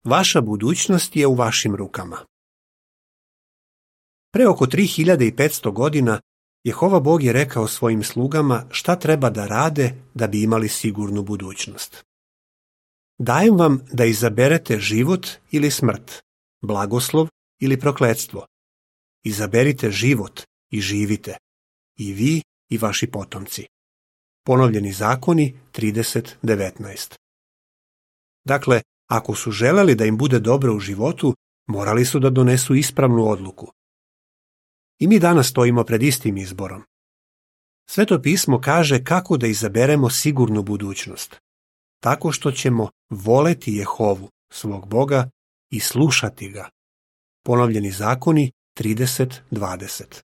Vaša budućnost je u vašim rukama. Pre oko 3500 godina Jehova Bog je rekao svojim slugama šta treba da rade da bi imali sigurnu budućnost. Dajem vam da izaberete život ili smrt, blagoslov ili prokletstvo. Izaberite život i živite, i vi i vaši potomci. Ponovljeni zakoni 30:19. Dakle, ako su želeli da im bude dobro u životu, morali su da donesu ispravnu odluku. I mi danas stojimo pred istim izborom. Sveto pismo kaže kako da izaberemo sigurnu budućnost. Tako što ćemo voleti Jehovu, svog Boga, i slušati ga. Ponovljeni zakoni 30:20.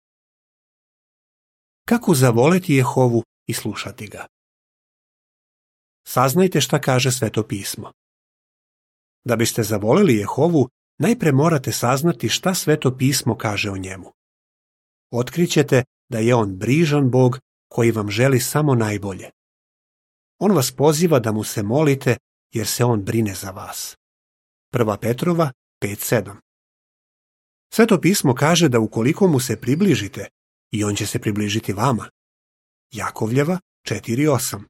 Kako zavoleti Jehovu i slušati ga? Saznajte šta kaže Sveto pismo. Da biste zavoleli Jehovu, najpre morate saznati šta Sveto pismo kaže o njemu. Otkrićete da je on brižan Bog koji vam želi samo najbolje. On vas poziva da mu se molite jer se on brine za vas. 1. Petrova 5:7. Sveto pismo kaže da ukoliko mu se približite, i on će se približiti vama. Jakovljeva 4:8.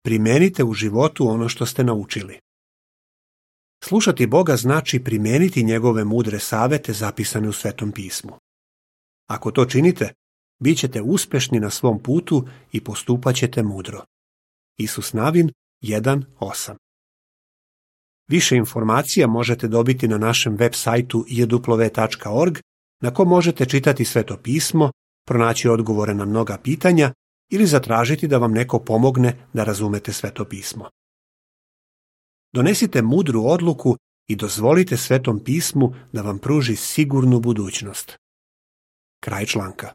Primenite u životu ono što ste naučili. Slušati Boga znači primeniti njegove mudre savete zapisane u Svetom pismu. Ako to činite, bit ćete uspešni na svom putu i postupat ćete mudro. Isus Navin 1:8. Više informacija možete dobiti na našem web sajtu jw.org, na kom možete čitati Sveto pismo, pronaći odgovore na mnoga pitanja ili zatražiti da vam neko pomogne da razumete Sveto pismo. Donesite mudru odluku i dozvolite Svetom pismu da vam pruži sigurnu budućnost. Kraj članka.